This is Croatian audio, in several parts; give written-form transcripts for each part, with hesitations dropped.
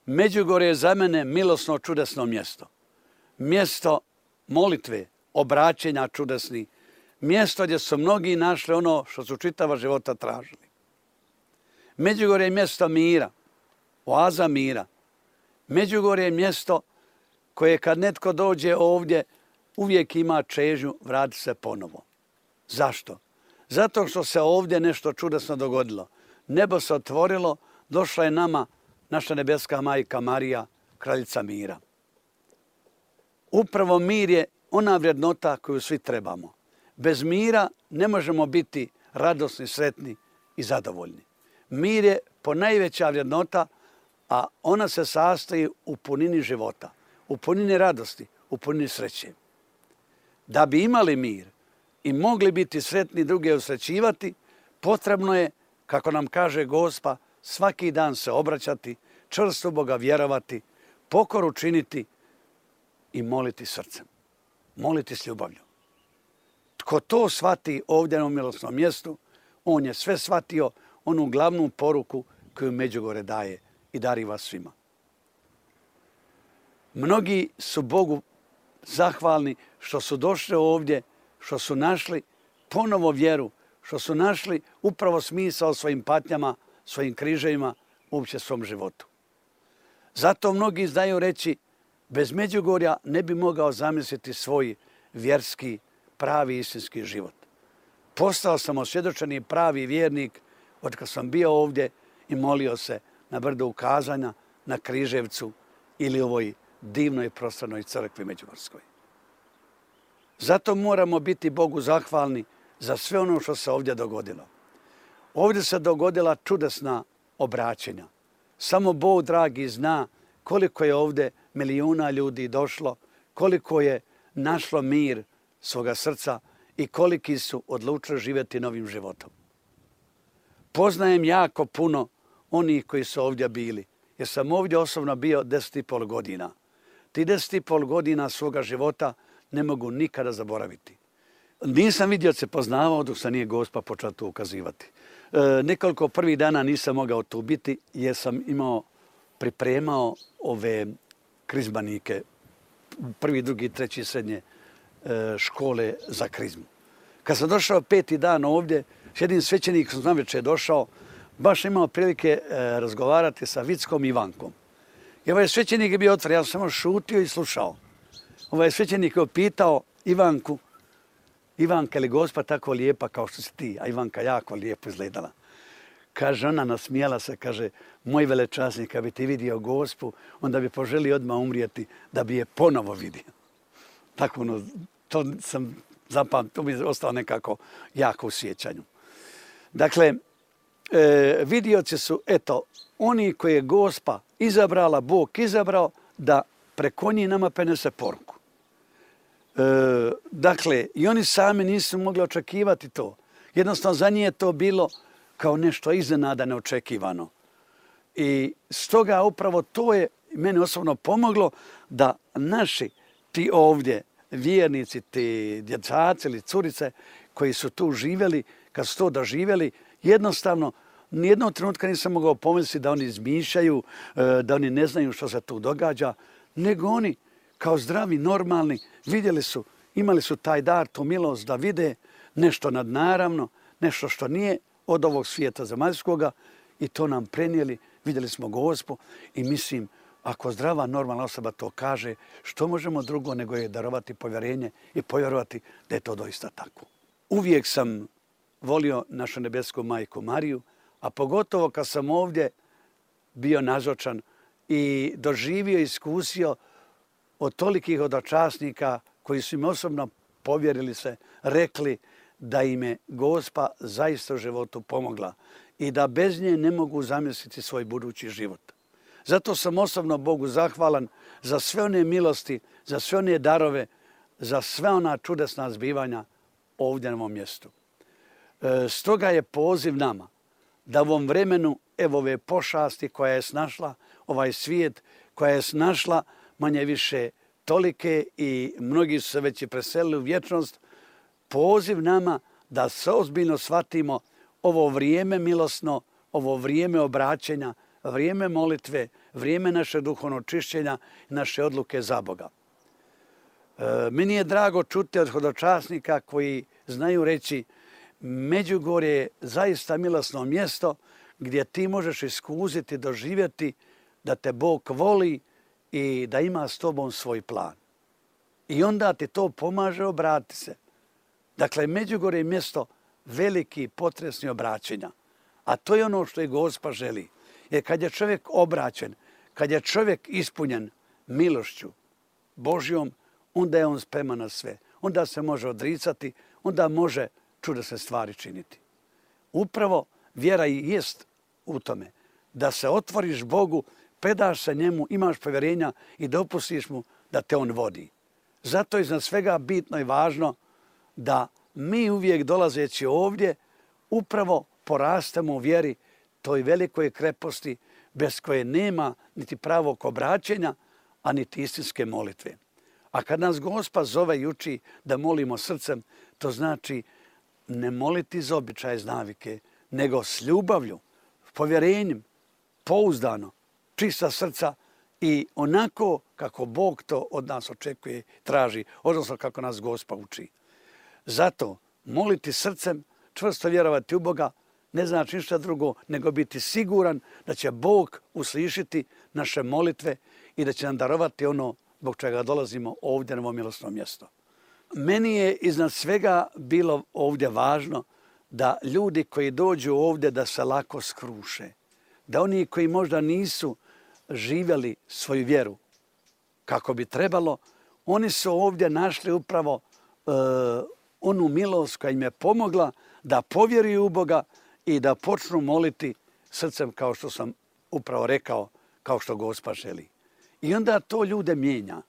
Međugorje je za mene milosno čudesno mjesto. Mjesto molitve, obraćenja čudesni. Mjesto gdje su mnogi našli ono što su čitava života tražili. Međugorje je mjesto mira, oaza mira. Međugorje je mjesto koje kad netko dođe ovdje uvijek ima čežnju vratiti se ponovo. Zašto? Zato što se ovdje nešto čudesno dogodilo. Nebo se otvorilo, došla je nama naša nebeska majka Marija, kraljica mira. Upravo mir je ona vrednota koju svi trebamo. Bez mira ne možemo biti radosni, sretni i zadovoljni. Mir je ponajveća vrednota, a ona se sastoji u punini života, u punini radosti, u punini sreće. Da bi imali mir i mogli biti sretni druge usrećivati, potrebno je, kako nam kaže Gospa, svaki dan se obraćati, čvrsto u Boga vjerovati, pokoru činiti i moliti srcem. Moliti s ljubavlju. Tko to shvati ovdje na milosnom mjestu, on je sve shvatio onu glavnu poruku koju Međugorje daje i dariva svima. Mnogi su Bogu zahvalni što su došli ovdje, što su našli ponovo vjeru, što su našli upravo smisao svojim patnjama, svojim križevima, uopće svom životu. Zato mnogi znaju reći, bez Međugorja ne bi mogao zamisliti svoj vjerski, pravi, istinski život. Postao sam osvjedočeni pravi vjernik od kad sam bio ovdje i molio se na brdu ukazanja, na Križevcu ili ovoj divnoj prostranoj crkvi Međugorskoj. Zato moramo biti Bogu zahvalni za sve ono što se ovdje dogodilo. Ovdje se dogodila čudesna obraćenja. Samo Bog dragi zna koliko je ovdje milijuna ljudi došlo, koliko je našlo mir svoga srca i koliki su odlučili živjeti novim životom. Poznajem jako puno onih koji su ovdje bili, jer sam ovdje osobno bio 10,5 godina. Ti 10,5 godina svoga života ne mogu nikada zaboraviti. Nisam vidioce poznavao dok se nije Gospa počela tu ukazivati. Nekoliko prvih dana nisam mogao tu biti jer sam pripremao ove krizmanike, prvi, drugi, treći srednje škole za krizmu. Kad sam došao 5. dan ovdje, s jednim svećenikom sam navečer došao, baš imao prilike razgovarati sa Vickom i Ivankom. I ovaj svećenik je bio otvoren, ja sam samo šutio i slušao. Ovaj svećenik je pitao Ivanku, Ivanka, je li Gospa tako lijepa kao što si ti? A Ivanka jako lijepo izgledala. Kaže, ona nasmijala se, kaže, moj velečasnik, kad bi ti vidio Gospu, onda bi poželio odmah umrijeti da bi je ponovo vidio. Tako to sam zapamtio, to mi je ostalo nekako jako u sjećanju. Dakle, vidioci su, eto, oni koje je Gospa izabrala, Bog izabrao, da preko njih nama prenese poruku. Dakle, i oni sami nisu mogli očekivati to. Jednostavno, za njih je to bilo kao nešto iznenada neočekivano. I stoga upravo to je meni osobno pomoglo da naši ti ovdje vjernici, ti djecaci ili curice koji su tu živjeli, kad su to doživjeli, jednostavno nijednog trenutka nisam mogao pomisliti da oni izmišljaju, da oni ne znaju što se tu događa, nego oni kao zdravi, normalni, vidjeli su, imali su taj dar, tu milost da vide nešto nadnaravno, nešto što nije od ovog svijeta zemaljskoga i to nam prenijeli, vidjeli smo Gospu i mislim, ako zdrava, normalna osoba to kaže, što možemo drugo nego je darovati povjerenje i povjerovati da je to doista tako. Uvijek sam volio našu nebesku majku Mariju, a pogotovo kad sam ovdje bio nazočan i doživio i iskusio od tolikih hodočasnika koji su im osobno povjerili se, rekli da im je Gospa zaista u životu pomogla i da bez nje ne mogu zamisliti svoj budući život. Zato sam osobno Bogu zahvalan za sve one milosti, za sve one darove, za sve ona čudesna zbivanja ovdje na ovom mjestu. Stoga je poziv nama da u ovom vremenu, evo ove pošasti koja je snašla ovaj svijet, koja je snašla manje više tolike i mnogi su se već i preselili u vječnost, poziv nama da se ozbiljno shvatimo ovo vrijeme milosno, ovo vrijeme obraćenja, vrijeme molitve, vrijeme našeg duhovnog čišćenja i naše odluke za Boga. Meni je drago čuti od hodočasnika koji znaju reći Međugorje je zaista milosno mjesto gdje ti možeš iskuziti, doživjeti da te Bog voli i da ima s tobom svoj plan. I onda ti to pomaže obrati se. Dakle, Međugorje je mjesto veliki potresni obraćenja. A to je ono što i Gospa želi. Jer kad je čovjek obraćen, kad je čovjek ispunjen milošću Božjom, onda je on spreman na sve. Onda se može odricati, onda može čudesne stvari činiti. Upravo vjera i jest u tome da se otvoriš Bogu, predaš se njemu, imaš povjerenja i dopustiš mu da te on vodi. Zato je iznad svega bitno i važno da mi uvijek dolazeći ovdje upravo porastemo u vjeri toj velikoj kreposti bez koje nema niti pravog obraćenja, a niti istinske molitve. A kad nas Gospa zove i uči da molimo srcem, to znači ne moliti iz običaja, iz navike, nego s ljubavlju, povjerenjem, pouzdano, čista srca i onako kako Bog to od nas očekuje, traži, odnosno kako nas Gospa uči. Zato moliti srcem, čvrsto vjerovati u Boga, ne znači ništa drugo nego biti siguran da će Bog uslišiti naše molitve i da će nam darovati ono zbog čega dolazimo ovdje na ovo milosno mjesto. Meni je iznad svega bilo ovdje važno da ljudi koji dođu ovdje da se lako skruše, da oni koji možda nisu živjeli svoju vjeru kako bi trebalo, oni su ovdje našli upravo onu milost koja im je pomogla da povjeruju u Boga i da počnu moliti srcem kao što sam upravo rekao, kao što Gospa želi. I onda to ljude mijenja.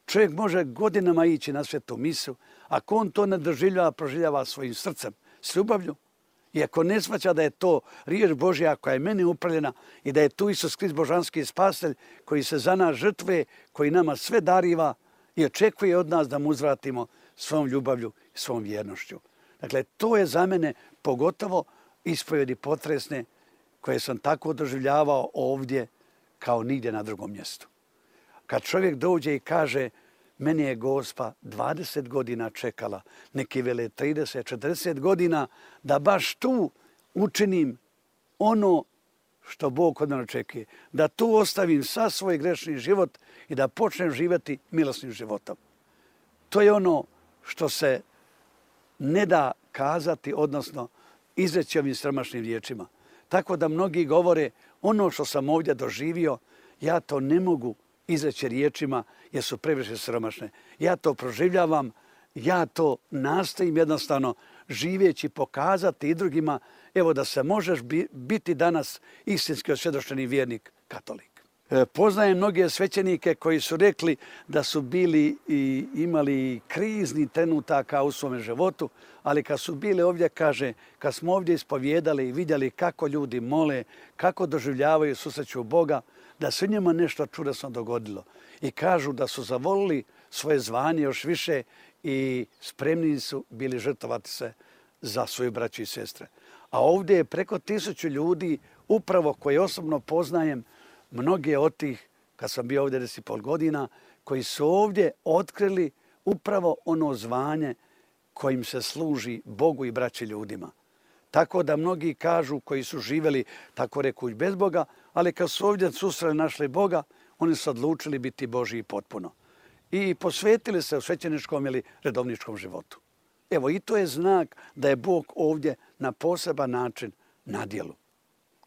Čovjek može godinama ići na svetu misu, ako on to ne doživljava, proživljava svojim srcem, s ljubavlju. I ako ne shvaća da je to riječ Božja koja je meni upravljena i da je tu Isus Krist božanski spasitelj koji se za nas žrtvuje, koji nama sve dariva i očekuje od nas da mu uzvratimo svom ljubavlju i svom vjernošću. Dakle, to je za mene pogotovo ispovjedi potresne koje sam tako doživljavao ovdje kao nigdje na drugom mjestu. Kad čovjek dođe i kaže meni je Gospa 20 godina čekala, neki vele 30, 40 godina, da baš tu učinim ono što Bog od mene očekuje. Da tu ostavim sav svoj grešni život i da počnem živjeti milosnim životom. To je ono što se ne da kazati, odnosno izreći ovim siromašnim riječima. Tako da mnogi govore ono što sam ovdje doživio, ja to ne mogu izreći riječima jer su previše siromašne. Ja to proživljavam, ja to nastojim jednostavno živeći pokazati i drugima, evo da se možeš biti danas istinski osvjedočeni vjernik katolik. Poznajem mnoge svećenike koji su rekli da su bili i imali krizni trenutaka u svome životu, ali kad su bili ovdje, kaže, kad smo ovdje ispovijedali i vidjeli kako ljudi mole, kako doživljavaju, susreću Boga, da se njima nešto čudesno dogodilo. I kažu da su zavolili svoje zvanje još više i spremni su bili žrtvovati se za svoju braću i sestre. A ovdje je preko 1000 ljudi, upravo koje osobno poznajem, mnoge od tih, kad sam bio ovdje 10,5 godina, koji su ovdje otkrili upravo ono zvanje kojim se služi Bogu i braći ljudima. Tako da mnogi kažu koji su živjeli, tako rekuć, bez Boga, ali kad su ovdje susreli našli Boga, oni su odlučili biti Božji potpuno. I posvetili se u svećeničkom ili redovničkom životu. Evo, i to je znak da je Bog ovdje na poseban način na djelu.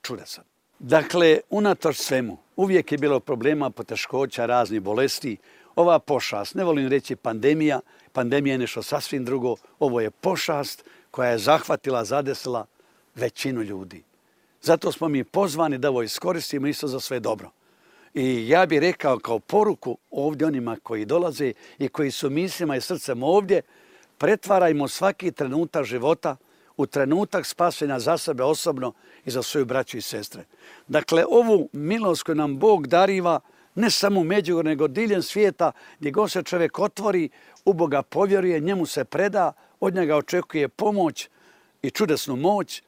Čudesan. Dakle, unatoč svemu, uvijek je bilo problema, poteškoća, raznih bolesti. Ova pošast, ne volim reći pandemija, pandemija je nešto sasvim drugo, ovo je pošast koja je zahvatila, zadesila većinu ljudi. Zato smo mi pozvani da ovo iskoristimo isto za sve dobro. I ja bih rekao kao poruku ovdje onima koji dolaze i koji su mislima i srcem ovdje, pretvarajmo svaki trenutak života u trenutak spasenja za sebe osobno i za svoju braću i sestre. Dakle, ovu milost koju nam Bog dariva, ne samo u Međugorju, nego diljem svijeta, gdje god se čovjek otvori, u Boga povjeruje, njemu se preda, od njega očekuje pomoć i čudesnu moć,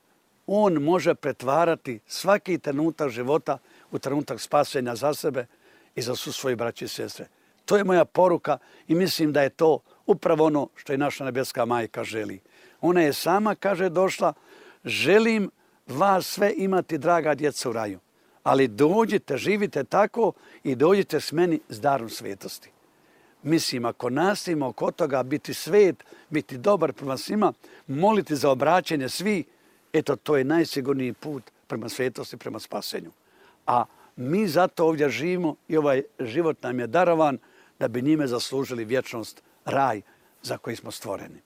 on može pretvarati svaki trenutak života u trenutak spasenja za sebe i za svu svoju braću i sestre. To je moja poruka i mislim da je to upravo ono što i naša nebeska majka želi. Ona je sama, kaže, došla, želim vas sve imati, draga djeca, u raju. Ali dođite, živite tako i dođite s meni s darom svetosti. Mislim, ako nastavimo oko toga biti svet, biti dobar prema svima, moliti za obraćanje svi, eto, to je najsigurniji put prema svetosti, prema spasenju. A mi zato ovdje živimo i ovaj život nam je darovan da bi njime zaslužili vječnost, raj za koji smo stvoreni.